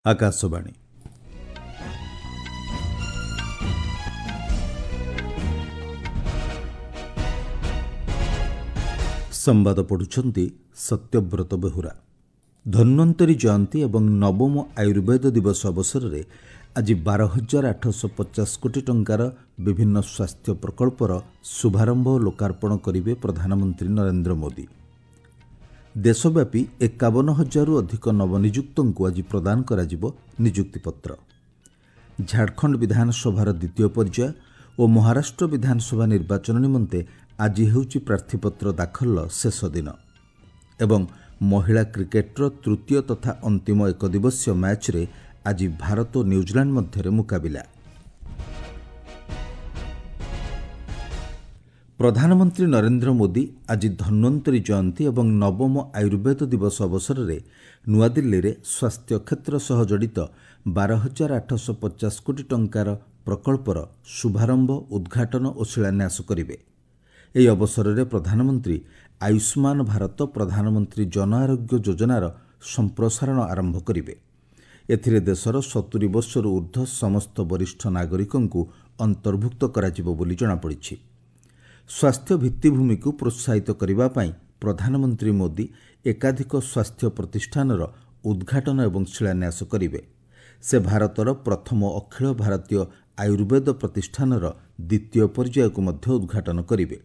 ଆକାଶବାଣୀ। ସମ୍ବାଦ ପଢ଼ୁଛନ୍ତି ସତ୍ୟବ୍ରତ ବେହୁରା। ଧନ୍ୱନ୍ତରୀ ଜୟନ୍ତୀ ଏବଂ ନବମ ଆୟୁର୍ବେଦ ଦିବସ ଅବସରରେ ଆଜି 12,850 କୋଟି ଟଙ୍କାର ବିଭିନ୍ନ ସ୍ୱାସ୍ଥ୍ୟ ପ୍ରକଳ୍ପର ଶୁଭାରମ୍ଭ ଓ ଲୋକାର୍ପଣ କରିବେ ପ୍ରଧାନମନ୍ତ୍ରୀ ନରେନ୍ଦ୍ର ମୋଦି। ଦେଶବ୍ୟାପୀ 51 ହଜାରରୁ ଅଧିକ ନବନିଯୁକ୍ତଙ୍କୁ ଆଜି ପ୍ରଦାନ କରାଯିବ ନିଯୁକ୍ତିପତ୍ର। ଝାଡ଼ଖଣ୍ଡ ବିଧାନସଭାର ଦ୍ୱିତୀୟ ପର୍ଯ୍ୟାୟ ଓ ମହାରାଷ୍ଟ୍ର ବିଧାନସଭା ନିର୍ବାଚନ ନିମନ୍ତେ ଆଜି ହେଉଛି ପ୍ରାର୍ଥୀପତ୍ର ଦାଖଲର ଶେଷ ଦିନ। ଏବଂ ମହିଳା କ୍ରିକେଟ୍ର ତୃତୀୟ ତଥା ଅନ୍ତିମ ଏକଦିବସୀୟ ମ୍ୟାଚ୍ରେ ଆଜି ଭାରତ ଓ ନ୍ୟୁଜିଲାଣ୍ଡ ମଧ୍ୟରେ ମୁକାବିଲା। ପ୍ରଧାନମନ୍ତ୍ରୀ ନରେନ୍ଦ୍ର ମୋଦି ଆଜି ଧନ୍ୱନ୍ତରୀ ଜୟନ୍ତୀ ଏବଂ ନବମ ଆୟୁର୍ବେଦ ଦିବସ ଅବସରରେ ନୂଆଦିଲ୍ଲୀରେ ସ୍ୱାସ୍ଥ୍ୟ କ୍ଷେତ୍ର ସହ ଜଡ଼ିତ 12,850 କୋଟି ଟଙ୍କାର ପ୍ରକଳ୍ପର ଶୁଭାରମ୍ଭ, ଉଦ୍ଘାଟନ ଓ ଶିଳାନ୍ୟାସ କରିବେ। ଏହି ଅବସରରେ ପ୍ରଧାନମନ୍ତ୍ରୀ ଆୟୁଷ୍ମାନ ଭାରତ ପ୍ରଧାନମନ୍ତ୍ରୀ ଜନ ଆରୋଗ୍ୟ ଯୋଜନାର ସମ୍ପ୍ରସାରଣ ଆରମ୍ଭ କରିବେ। ଏଥିରେ ଦେଶର 70 ବର୍ଷରୁ ଊର୍ଦ୍ଧ୍ୱ ସମସ୍ତ ବରିଷ୍ଠ ନାଗରିକଙ୍କୁ ଅନ୍ତର୍ଭୁକ୍ତ କରାଯିବ ବୋଲି ଜଣାପଡ଼ିଛି। ସ୍ୱାସ୍ଥ୍ୟ ଭିତ୍ତିଭୂମିକୁ ପ୍ରୋତ୍ସାହିତ କରିବା ପାଇଁ ପ୍ରଧାନମନ୍ତ୍ରୀ ମୋଦି ଏକାଧିକ ସ୍ୱାସ୍ଥ୍ୟ ପ୍ରତିଷ୍ଠାନର ଉଦ୍ଘାଟନ ଏବଂ ଶିଳାନ୍ୟାସ କରିବେ। ସେ ଭାରତର ପ୍ରଥମ ଅଖିଳ ଭାରତୀୟ ଆୟୁର୍ବେଦ ପ୍ରତିଷ୍ଠାନର ଦ୍ୱିତୀୟ ପର୍ଯ୍ୟାୟକୁ ମଧ୍ୟ ଉଦ୍ଘାଟନ କରିବେ।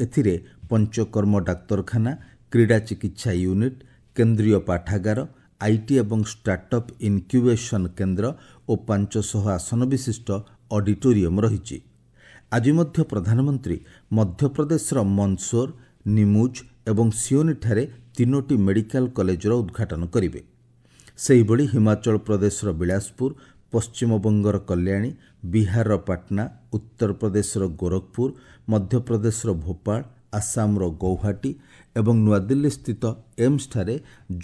ଏଥିରେ ପଞ୍ଚକର୍ମ ଡାକ୍ତରଖାନା, କ୍ରୀଡ଼ା ଚିକିତ୍ସା ୟୁନିଟ୍, କେନ୍ଦ୍ରୀୟ ପାଠାଗାର, IT ଏବଂ ଷ୍ଟାର୍ଟଅପ୍ ଇନ୍କ୍ୟୁବେସନ୍ କେନ୍ଦ୍ର ଓ 500 ଆସନ ବିଶିଷ୍ଟ ଅଡିଟୋରିୟମ୍ ରହିଛି। ଆଜି ମଧ୍ୟ ପ୍ରଧାନମନ୍ତ୍ରୀ ମଧ୍ୟପ୍ରଦେଶର ମନ୍ଦସୋର, ନିମୁଜ ଏବଂ ସିଓନିଠାରେ 3ଟି ମେଡିକାଲ କଲେଜର ଉଦ୍ଘାଟନ କରିବେ। ସେହିଭଳି ହିମାଚଳ ପ୍ରଦେଶର ବିଳାସପୁର, ପଶ୍ଚିମବଙ୍ଗର କଲ୍ୟାଣୀ, ବିହାରର ପାଟନା, ଉତ୍ତରପ୍ରଦେଶର ଗୋରଖପୁର, ମଧ୍ୟପ୍ରଦେଶର ଭୋପାଳ, ଆସାମର ଗୌହାଟୀ ଏବଂ ନୂଆଦିଲ୍ଲୀସ୍ଥିତ ଏମ୍ସଠାରେ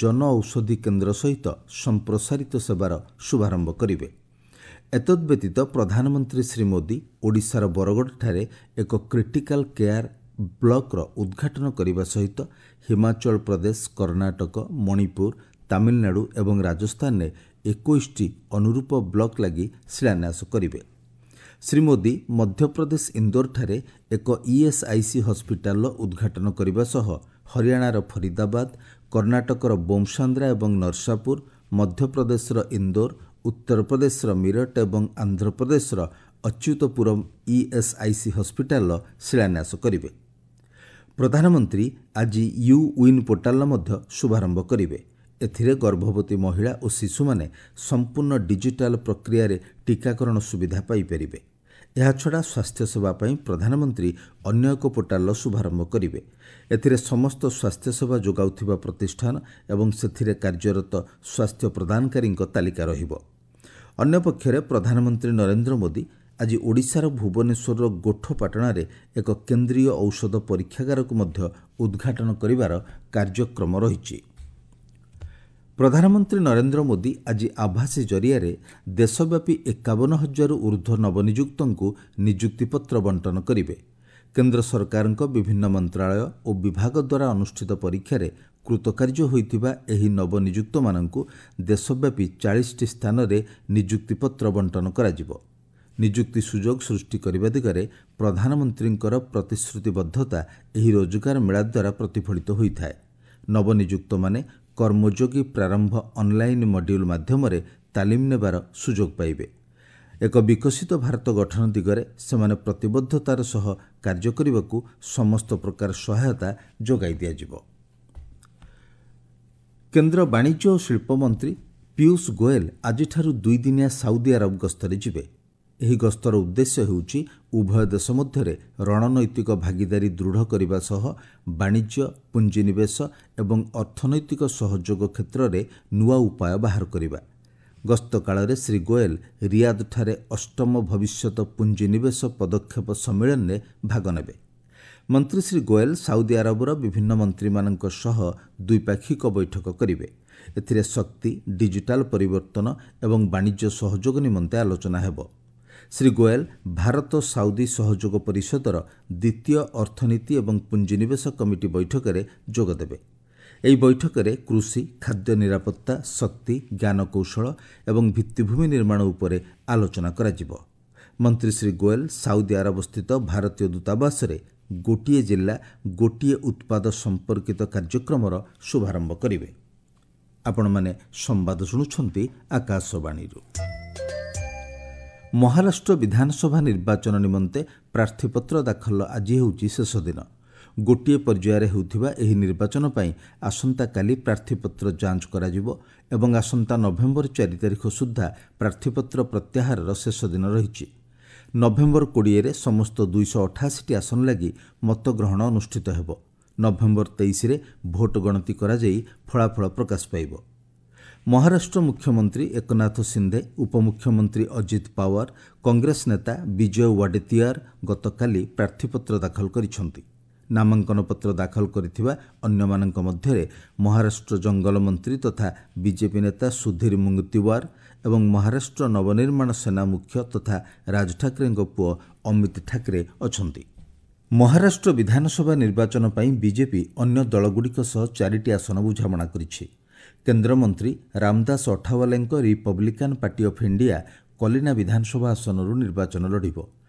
ଜନଔଷଧି କେନ୍ଦ୍ର ସହିତ ସମ୍ପ୍ରସାରିତ ସେବାର ଶୁଭାରମ୍ଭ କରିବେ। ଏତଦ୍ବ୍ୟତୀତ ପ୍ରଧାନମନ୍ତ୍ରୀ ଶ୍ରୀ ମୋଦି ଓଡ଼ିଶାର ବରଗଡ଼ଠାରେ ଏକ କ୍ରିଟିକାଲ କେୟାର ବ୍ଲକର ଉଦ୍ଘାଟନ କରିବା ସହିତ ହିମାଚଳ ପ୍ରଦେଶ, କର୍ଣ୍ଣାଟକ, ମଣିପୁର, ତାମିଲନାଡୁ ଏବଂ ରାଜସ୍ଥାନରେ 21ଟି ଅନୁରୂପ ବ୍ଲକ ଲାଗି ଶିଳାନ୍ୟାସ କରିବେ। ଶ୍ରୀ ମୋଦି ମଧ୍ୟପ୍ରଦେଶ ଇନ୍ଦୋରଠାରେ ଏକ ଇଏସ୍ଆଇସି ହସ୍ପିଟାଲର ଉଦ୍ଘାଟନ କରିବା ସହ ହରିୟାଣାର ଫରିଦାବାଦ, କର୍ଣ୍ଣାଟକର ବୋମସାନ୍ଦ୍ରା ଏବଂ ନରସାପୁର, ମଧ୍ୟପ୍ରଦେଶର ଇନ୍ଦୋର, ଉତ୍ତରପ୍ରଦେଶର ମିରଟ ଏବଂ ଆନ୍ଧ୍ରପ୍ରଦେଶର ଅଚ୍ୟୁତପୁରମ୍ ଇଏସ୍ଆଇସି ହସ୍ପିଟାଲର ଶିଳାନ୍ୟାସ କରିବେ। ପ୍ରଧାନମନ୍ତ୍ରୀ ଆଜି you win ପୋର୍ଟାଲର ମଧ୍ୟ ଶୁଭାରମ୍ଭ କରିବେ। ଏଥିରେ ଗର୍ଭବତୀ ମହିଳା ଓ ଶିଶୁମାନେ ସମ୍ପୂର୍ଣ୍ଣ ଡିଜିଟାଲ ପ୍ରକ୍ରିୟାରେ ଟିକାକରଣ ସୁବିଧା ପାଇପାରିବେ। ଏହାଛଡ଼ା ସ୍ୱାସ୍ଥ୍ୟସେବା ପାଇଁ ପ୍ରଧାନମନ୍ତ୍ରୀ ଅନ୍ୟ ଏକ ପୋର୍ଟାଲର ଶୁଭାରମ୍ଭ କରିବେ। ଏଥିରେ ସମସ୍ତ ସ୍ୱାସ୍ଥ୍ୟସେବା ଯୋଗାଉଥିବା ପ୍ରତିଷ୍ଠାନ ଏବଂ ସେଥିରେ କାର୍ଯ୍ୟରତ ସ୍ୱାସ୍ଥ୍ୟ ପ୍ରଦାନକାରୀଙ୍କ ତାଲିକା ରହିବ। ଅନ୍ୟପକ୍ଷରେ ପ୍ରଧାନମନ୍ତ୍ରୀ ନରେନ୍ଦ୍ର ମୋଦି ଆଜି ଓଡ଼ିଶାର ଭୁବନେଶ୍ୱରର ଗୋଠପାଟଣାରେ ଏକ କେନ୍ଦ୍ରୀୟ ଔଷଧ ପରୀକ୍ଷାଗାରକୁ ମଧ୍ୟ ଉଦ୍ଘାଟନ କରିବାର କାର୍ଯ୍ୟକ୍ରମ ରହିଛି। ପ୍ରଧାନମନ୍ତ୍ରୀ ନରେନ୍ଦ୍ର ମୋଦି ଆଜି ଆଭାସୀ ଜରିଆରେ ଦେଶବ୍ୟାପୀ 51 ହଜାରରୁ ଊର୍ଦ୍ଧ୍ୱ ନବନିଯୁକ୍ତଙ୍କୁ ନିଯୁକ୍ତିପତ୍ର ବଣ୍ଟନ କରିବେ। କେନ୍ଦ୍ର ସରକାରଙ୍କ ବିଭିନ୍ନ ମନ୍ତ୍ରାଳୟ ଓ ବିଭାଗ ଦ୍ୱାରା ଅନୁଷ୍ଠିତ ପରୀକ୍ଷାରେ କୃତକାର୍ଯ୍ୟ ହୋଇଥିବା ଏହି ନବନିଯୁକ୍ତମାନଙ୍କୁ ଦେଶବ୍ୟାପୀ 40ଟି ସ୍ଥାନରେ ନିଯୁକ୍ତିପତ୍ର ବଣ୍ଟନ କରାଯିବ। ନିଯୁକ୍ତି ସୁଯୋଗ ସୃଷ୍ଟି କରିବା ଦିଗରେ ପ୍ରଧାନମନ୍ତ୍ରୀଙ୍କର ପ୍ରତିଶ୍ରୁତିବଦ୍ଧତା ଏହି ରୋଜଗାର ମେଳା ଦ୍ୱାରା ପ୍ରତିଫଳିତ ହୋଇଥାଏ। ନବନିଯୁକ୍ତମାନେ କର୍ମଯୋଗୀ ପ୍ରାରମ୍ଭ ଅନ୍ଲାଇନ୍ ମଡ୍ୟୁଲ୍ ମାଧ୍ୟମରେ ତାଲିମ ନେବାର ସୁଯୋଗ ପାଇବେ। ଏକ ବିକଶିତ ଭାରତ ଗଠନ ଦିଗରେ ସେମାନେ ପ୍ରତିବଦ୍ଧତାର ସହ କାର୍ଯ୍ୟ କରିବାକୁ ସମସ୍ତ ପ୍ରକାର ସହାୟତା ଯୋଗାଇ ଦିଆଯିବ। କେନ୍ଦ୍ର ବାଣିଜ୍ୟ ଓ ଶିଳ୍ପ ମନ୍ତ୍ରୀ ପୀୟୁଷ ଗୋଏଲ ଆଜିଠାରୁ ଦୁଇଦିନିଆ ସାଉଦି ଆରବ ଗସ୍ତରେ ଯିବେ। ଏହି ଗସ୍ତର ଉଦ୍ଦେଶ୍ୟ ହେଉଛି ଉଭୟ ଦେଶ ମଧ୍ୟରେ ରଣନୈତିକ ଭାଗିଦାରୀ ଦୃଢ଼ କରିବା ସହ ବାଣିଜ୍ୟ, ପୁଞ୍ଜିନିବେଶ ଏବଂ ଅର୍ଥନୈତିକ ସହଯୋଗ କ୍ଷେତ୍ରରେ ନୂଆ ଉପାୟ ବାହାର କରିବା। ଗସ୍ତ କାଳରେ ଶ୍ରୀ ଗୋଏଲ ରିୟାଦଠାରେ ଅଷ୍ଟମ ଭବିଷ୍ୟତ ପୁଞ୍ଜିନିବେଶ ପଦକ୍ଷେପ ସମ୍ମିଳନୀରେ ଭାଗ ନେବେ। ମନ୍ତ୍ରୀ ଶ୍ରୀ ଗୋଏଲ ସାଉଦି ଆରବର ବିଭିନ୍ନ ମନ୍ତ୍ରୀମାନଙ୍କ ସହ ଦ୍ୱିପାକ୍ଷିକ ବୈଠକ କରିବେ। ଏଥିରେ ଶକ୍ତି, ଡିଜିଟାଲ ପରିବର୍ତ୍ତନ ଏବଂ ବାଣିଜ୍ୟ ସହଯୋଗ ନିମନ୍ତେ ଆଲୋଚନା ହେବ। ଶ୍ରୀ ଗୋଏଲ ଭାରତ ସାଉଦି ସହଯୋଗ ପରିଷଦର ଦ୍ୱିତୀୟ ଅର୍ଥନୀତି ଏବଂ ପୁଞ୍ଜିନିବେଶ କମିଟି ବୈଠକରେ ଯୋଗଦେବେ। ଏହି ବୈଠକରେ କୃଷି, ଖାଦ୍ୟ ନିରାପତ୍ତା, ଶକ୍ତି, ଜ୍ଞାନକୌଶଳ ଏବଂ ଭିତ୍ତିଭୂମି ନିର୍ମାଣ ଉପରେ ଆଲୋଚନା କରାଯିବ। ମନ୍ତ୍ରୀ ଶ୍ରୀ ଗୋଏଲ ସାଉଦି ଆରବସ୍ଥିତ ଭାରତୀୟ ଦୂତାବାସରେ ଗୋଟିଏ ଜିଲ୍ଲା ଗୋଟିଏ ଉତ୍ପାଦ ସମ୍ପର୍କିତ କାର୍ଯ୍ୟକ୍ରମର ଶୁଭାରମ୍ଭ କରିବେ। ଆପଣମାନେ ସମ୍ବାଦ ଶୁଣୁଛନ୍ତି ଆକାଶବାଣୀରୁ। ମହାରାଷ୍ଟ୍ର ବିଧାନସଭା ନିର୍ବାଚନ ନିମନ୍ତେ ପ୍ରାର୍ଥୀପତ୍ର ଦାଖଲର ଆଜି ହେଉଛି ଶେଷ ଦିନ। ଗୋଟିଏ ପର୍ଯ୍ୟାୟରେ ହେଉଥିବା ଏହି ନିର୍ବାଚନ ପାଇଁ ଆସନ୍ତାକାଲି ପ୍ରାର୍ଥୀପତ୍ର ଯାଞ୍ଚ କରାଯିବ ଏବଂ ଆସନ୍ତା ନଭେମ୍ବର 4 ତାରିଖ ସୁଦ୍ଧା ପ୍ରାର୍ଥୀପତ୍ର ପ୍ରତ୍ୟାହାରର ଶେଷ ଦିନ ରହିଛି। ନଭେମ୍ବର 20ରେ ସମସ୍ତ 288ଟି ଆସନ ଲାଗି ମତଗ୍ରହଣ ଅନୁଷ୍ଠିତ ହେବ। ନଭେମ୍ବର 23ରେ ଭୋଟ ଗଣତି କରାଯାଇ ଫଳାଫଳ ପ୍ରକାଶ ପାଇବ। ମହାରାଷ୍ଟ୍ର ମୁଖ୍ୟମନ୍ତ୍ରୀ ଏକନାଥ ସିନ୍ଧେ, ଉପମୁଖ୍ୟମନ୍ତ୍ରୀ ଅଜିତ ପାୱାର, କଂଗ୍ରେସ ନେତା ବିଜୟ ୱାଡେତିଆର ଗତକାଲି ପ୍ରାର୍ଥୀପତ୍ର ଦାଖଲ କରିଛନ୍ତି। ନାମାଙ୍କନପତ୍ର ଦାଖଲ କରିଥିବା ଅନ୍ୟମାନଙ୍କ ମଧ୍ୟରେ ମହାରାଷ୍ଟ୍ର ଜଙ୍ଗଲ ମନ୍ତ୍ରୀ ତଥା ବିଜେପି ନେତା ସୁଧୀର ମୁଙ୍ଗତିୱାର ଏବଂ ମହାରାଷ୍ଟ୍ର ନବନିର୍ମାଣ ସେନା ମୁଖ୍ୟ ତଥା ରାଜ ଠାକରେଙ୍କ ପୁଅ ଅମିତ ଠାକରେ ଅଛନ୍ତି। ମହାରାଷ୍ଟ୍ର ବିଧାନସଭା ନିର୍ବାଚନ ପାଇଁ ବିଜେପି ଅନ୍ୟ ଦଳଗୁଡ଼ିକ ସହ 4ଟି ଆସନ ବୁଝାମଣା କରିଛି। କେନ୍ଦ୍ରମନ୍ତ୍ରୀ ରାମଦାସ ଅଠାୱାଲେଙ୍କ Republican party of India Kalina ବିଧାନସଭା ଆସନରୁ ନିର୍ବାଚନ ଲଢ଼ିବ।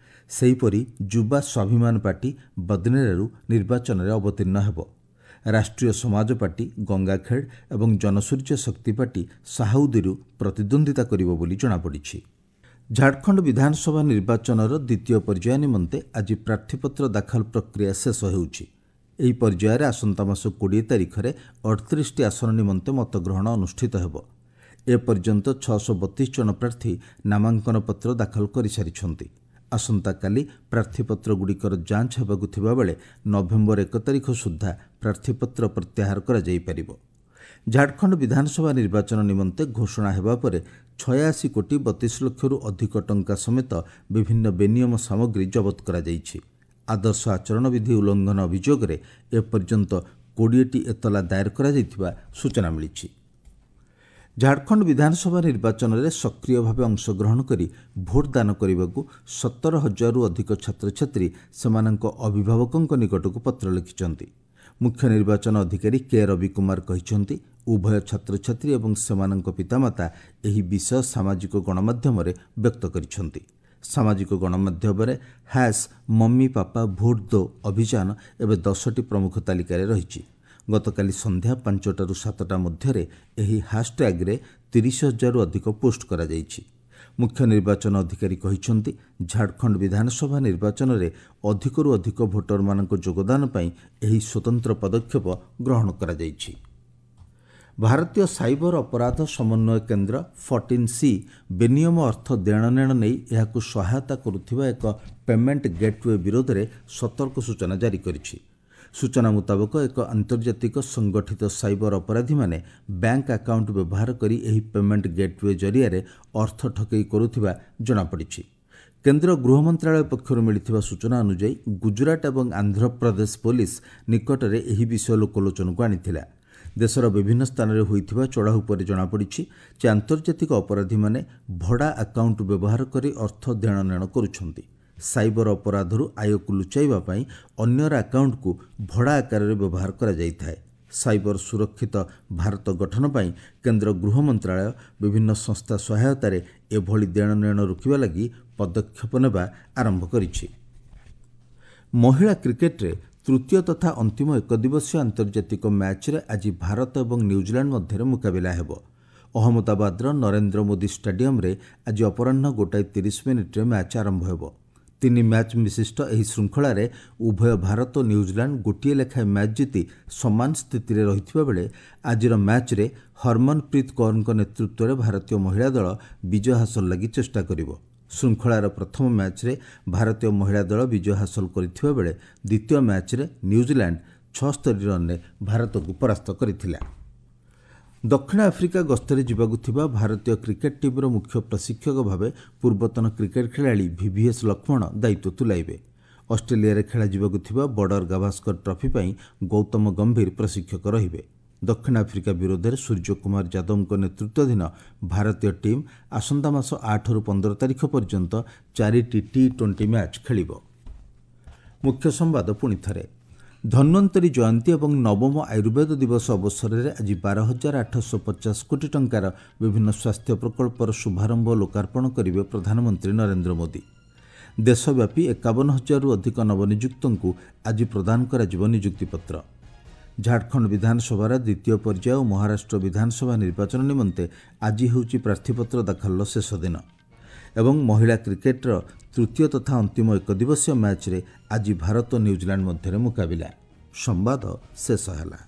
ସେହିପରି ଯୁବା ସ୍ୱାଭିମାନ ପାର୍ଟି ବଦନେରାରୁ ନିର୍ବାଚନରେ ଅବତୀର୍ଣ୍ଣ ହେବ। ରାଷ୍ଟ୍ରୀୟ ସମାଜ ପାର୍ଟି ଗଙ୍ଗାଖେଡ୍ ଏବଂ ଜନସୂର୍ଯ୍ୟ ଶକ୍ତି ପାର୍ଟି ସାହାଉଦିରୁ ପ୍ରତିଦ୍ୱନ୍ଦ୍ୱିତା କରିବ ବୋଲି ଜଣାପଡ଼ିଛି। ଝାଡ଼ଖଣ୍ଡ ବିଧାନସଭା ନିର୍ବାଚନର ଦ୍ୱିତୀୟ ପର୍ଯ୍ୟାୟ ନିମନ୍ତେ ଆଜି ପ୍ରାର୍ଥୀପତ୍ର ଦାଖଲ ପ୍ରକ୍ରିୟା ଶେଷ ହେଉଛି। ଏହି ପର୍ଯ୍ୟାୟରେ ଆସନ୍ତା ମାସ 20 ତାରିଖରେ 38ଟି ଆସନ ନିମନ୍ତେ ମତଗ୍ରହଣ ଅନୁଷ୍ଠିତ ହେବ। ଏପର୍ଯ୍ୟନ୍ତ 632 ଜଣ ପ୍ରାର୍ଥୀ ନାମାଙ୍କନପତ୍ର ଦାଖଲ କରିସାରିଛନ୍ତି। ଆସନ୍ତାକାଲି ପ୍ରାର୍ଥୀପତ୍ରଗୁଡ଼ିକର ଯାଞ୍ଚ ହେବାକୁ ଥିବାବେଳେ ନଭେମ୍ବର 1 ତାରିଖ ସୁଦ୍ଧା ପ୍ରାର୍ଥୀପତ୍ର ପ୍ରତ୍ୟାହାର କରାଯାଇପାରିବ। ଝାଡ଼ଖଣ୍ଡ ବିଧାନସଭା ନିର୍ବାଚନ ନିମନ୍ତେ ଘୋଷଣା ହେବା ପରେ 86 କୋଟି 32 ଲକ୍ଷରୁ ଅଧିକ ଟଙ୍କା ସମେତ ବିଭିନ୍ନ ବେନିୟମ ସାମଗ୍ରୀ ଜବତ କରାଯାଇଛି। ଆଦର୍ଶ ଆଚରଣ ବିଧି ଉଲ୍ଲଂଘନ ଅଭିଯୋଗରେ ଏପର୍ଯ୍ୟନ୍ତ 20ଟି ଏତଲା ଦାଏର କରାଯାଇଥିବା ସୂଚନା ମିଳିଛି। ଝାଡ଼ଖଣ୍ଡ ବିଧାନସଭା ନିର୍ବାଚନରେ ସକ୍ରିୟ ଭାବେ ଅଂଶଗ୍ରହଣ କରି ଭୋଟ ଦାନ କରିବାକୁ 17 ହଜାରରୁ ଅଧିକ ଛାତ୍ରଛାତ୍ରୀ ସେମାନଙ୍କ ଅଭିଭାବକଙ୍କ ନିକଟକୁ ପତ୍ର ଲେଖିଛନ୍ତି। ମୁଖ୍ୟ ନିର୍ବାଚନ ଅଧିକାରୀ କେ ରବି କୁମାର କହିଛନ୍ତି, ଉଭୟ ଛାତ୍ରଛାତ୍ରୀ ଏବଂ ସେମାନଙ୍କ ପିତାମାତା ଏହି ବିଷୟ ସାମାଜିକ ଗଣମାଧ୍ୟମରେ ବ୍ୟକ୍ତ କରିଛନ୍ତି। ସାମାଜିକ ଗଣମାଧ୍ୟମରେ ହ୍ୟାସ୍ ମମ୍ମି ପାପା ଭୋଟ ଦୋ ଅଭିଯାନ ଏବେ 10ଟି ପ୍ରମୁଖ ତାଲିକାରେ ରହିଛି। ଗତକାଲି ସନ୍ଧ୍ୟା 5ଟାରୁ 7ଟା ମଧ୍ୟରେ ଏହି ହ୍ୟାସ୍ଟ୍ୟାଗ୍ରେ 30 ହଜାରରୁ ଅଧିକ ପୋଷ୍ଟ କରାଯାଇଛି। ମୁଖ୍ୟ ନିର୍ବାଚନ ଅଧିକାରୀ କହିଛନ୍ତି, ଝାଡ଼ଖଣ୍ଡ ବିଧାନସଭା ନିର୍ବାଚନରେ ଅଧିକରୁ ଅଧିକ ଭୋଟରମାନଙ୍କ ଯୋଗଦାନ ପାଇଁ ଏହି ସ୍ୱତନ୍ତ୍ର ପଦକ୍ଷେପ ଗ୍ରହଣ କରାଯାଇଛି। ଭାରତୀୟ ସାଇବର ଅପରାଧ ସମନ୍ୱୟ କେନ୍ଦ୍ର 14C ବେନିୟମ ଅର୍ଥ ଦେଣନେଣ ନେଇ ଏହାକୁ ସହାୟତା କରୁଥିବା ଏକ ପେମେଣ୍ଟ ଗେଟ୍ୱେ ବିରୋଧରେ ସତର୍କ ସୂଚନା ଜାରି କରିଛି। ସୂଚନା ମୁତାବକ, ଏକ ଆନ୍ତର୍ଜାତିକ ସଂଗଠିତ ସାଇବର ଅପରାଧୀମାନେ ବ୍ୟାଙ୍କ ଆକାଉଣ୍ଟ ବ୍ୟବହାର କରି ଏହି ପେମେଣ୍ଟ ଗେଟ୍ୱେ ଜରିଆରେ ଅର୍ଥ ଠକେଇ କରୁଥିବା ଜଣାପଡ଼ିଛି। କେନ୍ଦ୍ର ଗୃହ ମନ୍ତ୍ରାଳୟ ପକ୍ଷରୁ ମିଳିଥିବା ସୂଚନା ଅନୁଯାୟୀ, ଗୁଜରାଟ ଏବଂ ଆନ୍ଧ୍ରପ୍ରଦେଶ ପୋଲିସ ନିକଟରେ ଏହି ବିଷୟ ଲୋକଲୋଚନକୁ ଆଣିଥିଲା। ଦେଶର ବିଭିନ୍ନ ସ୍ଥାନରେ ହୋଇଥିବା ଚଢ଼ାଉ ପରେ ଜଣାପଡ଼ିଛି ଯେ ଆନ୍ତର୍ଜାତିକ ଅପରାଧୀମାନେ ଭଡ଼ା ଆକାଉଣ୍ଟ ବ୍ୟବହାର କରି ଅର୍ଥ ଦେଣନେଣ କରୁଛନ୍ତି। ସାଇବର ଅପରାଧରୁ ଆୟକୁ ଲୁଚାଇବା ପାଇଁ ଅନ୍ୟର ଆକାଉଣ୍ଟକୁ ଭଡ଼ା ଆକାରରେ ବ୍ୟବହାର କରାଯାଇଥାଏ। ସାଇବର ସୁରକ୍ଷିତ ଭାରତ ଗଠନ ପାଇଁ କେନ୍ଦ୍ର ଗୃହ ମନ୍ତ୍ରାଳୟ ବିଭିନ୍ନ ସଂସ୍ଥା ସହାୟତାରେ ଏଭଳି ଦେଣନେଣ ରୋକିବା ଲାଗି ପଦକ୍ଷେପ ନେବା ଆରମ୍ଭ କରିଛି। ମହିଳା କ୍ରିକେଟ୍ରେ ତୃତୀୟ ତଥା ଅନ୍ତିମ ଏକଦିବସୀୟ ଆନ୍ତର୍ଜାତିକ ମ୍ୟାଚ୍ରେ ଆଜି ଭାରତ ଏବଂ ନ୍ୟୁଜିଲାଣ୍ଡ ମଧ୍ୟରେ ମୁକାବିଲା ହେବ। ଅହମ୍ମଦାବାଦର ନରେନ୍ଦ୍ର ମୋଦି ଷ୍ଟାଡିୟମ୍ରେ ଆଜି ଅପରାହ୍ନ 1:30 ମ୍ୟାଚ୍ ଆରମ୍ଭ ହେବ। 3 ମ୍ୟାଚ୍ ବିଶିଷ୍ଟ ଏହି ଶୃଙ୍ଖଳାରେ ଉଭୟ ଭାରତ ଓ ନ୍ୟୁଜିଲାଣ୍ଡ ଗୋଟିଏ ଲେଖାଏଁ ମ୍ୟାଚ୍ ଜିତି ସମାନ ସ୍ଥିତିରେ ରହିଥିବା ବେଳେ ଆଜିର ମ୍ୟାଚ୍ରେ ହରମନପ୍ରୀତ କୌରଙ୍କ ନେତୃତ୍ୱରେ ଭାରତୀୟ ମହିଳା ଦଳ ବିଜୟ ହାସଲ ଲାଗି ଚେଷ୍ଟା କରିବ। ଶୃଙ୍ଖଳାର ପ୍ରଥମ ମ୍ୟାଚ୍ରେ ଭାରତୀୟ ମହିଳା ଦଳ ବିଜୟ ହାସଲ କରିଥିବା ବେଳେ ଦ୍ୱିତୀୟ ମ୍ୟାଚ୍ରେ ନ୍ୟୁଜିଲାଣ୍ଡ 76 ରନ୍ରେ ଭାରତକୁ ପରାସ୍ତ କରିଥିଲା। ଦକ୍ଷିଣ ଆଫ୍ରିକା ଗସ୍ତରେ ଯିବାକୁ ଥିବା ଭାରତୀୟ କ୍ରିକେଟ୍ ଟିମ୍ର ମୁଖ୍ୟ ପ୍ରଶିକ୍ଷକ ଭାବେ ପୂର୍ବତନ କ୍ରିକେଟ୍ ଖେଳାଳି ଭିଭିଏସ୍ ଲକ୍ଷ୍ମଣ ଦାୟିତ୍ୱ ତୁଲାଇବେ। ଅଷ୍ଟ୍ରେଲିଆରେ ଖେଳାଯିବାକୁ ଥିବା ବର୍ଡର ଗାଭାସ୍କର ଟ୍ରଫି ପାଇଁ ଗୌତମ ଗମ୍ଭୀର ପ୍ରଶିକ୍ଷକ ରହିବେ। ଦକ୍ଷିଣ ଆଫ୍ରିକା ବିରୋଧରେ ସୂର୍ଯ୍ୟକୁମାର ଯାଦବଙ୍କ ନେତୃତ୍ୱାଧୀନ ଭାରତୀୟ ଟିମ୍ ଆସନ୍ତା ମାସ 8ରୁ 15 ତାରିଖ ପର୍ଯ୍ୟନ୍ତ 4ଟି ଟି-20 ମ୍ୟାଚ୍ ଖେଳିବ। ମୁଖ୍ୟ ସମ୍ବାଦ ପୁଣିଥରେ। ଧନ୍ୱନ୍ତରୀ ଜୟନ୍ତୀ ଏବଂ ନବମ ଆୟୁର୍ବେଦ ଦିବସ ଅବସରରେ ଆଜି 12,850 କୋଟି ଟଙ୍କାର ବିଭିନ୍ନ ସ୍ୱାସ୍ଥ୍ୟ ପ୍ରକଳ୍ପର ଶୁଭାରମ୍ଭ ଓ ଲୋକାର୍ପଣ କରିବେ ପ୍ରଧାନମନ୍ତ୍ରୀ ନରେନ୍ଦ୍ର ମୋଦି। ଦେଶବ୍ୟାପୀ 51,000ରୁ ଅଧିକ ନବନିଯୁକ୍ତଙ୍କୁ ଆଜି ପ୍ରଦାନ କରାଯିବ ନିଯୁକ୍ତିପତ୍ର। ଝାଡ଼ଖଣ୍ଡ ବିଧାନସଭାର ଦ୍ୱିତୀୟ ପର୍ଯ୍ୟାୟ ଓ ମହାରାଷ୍ଟ୍ର ବିଧାନସଭା ନିର୍ବାଚନ ନିମନ୍ତେ ଆଜି ହେଉଛି ପ୍ରାର୍ଥୀପତ୍ର ଦାଖଲର ଶେଷ ଦିନ। ଏବଂ ମହିଳା କ୍ରିକେଟ୍ର ତୃତୀୟ ତଥା ଅନ୍ତିମ ଏକଦିବସୀୟ ମ୍ୟାଚ୍ରେ ଆଜି ଭାରତ ନ୍ୟୁଜିଲାଣ୍ଡ ମଧ୍ୟରେ ମୁକାବିଲା। ସମ୍ବାଦ ଶେଷ ହେଲା।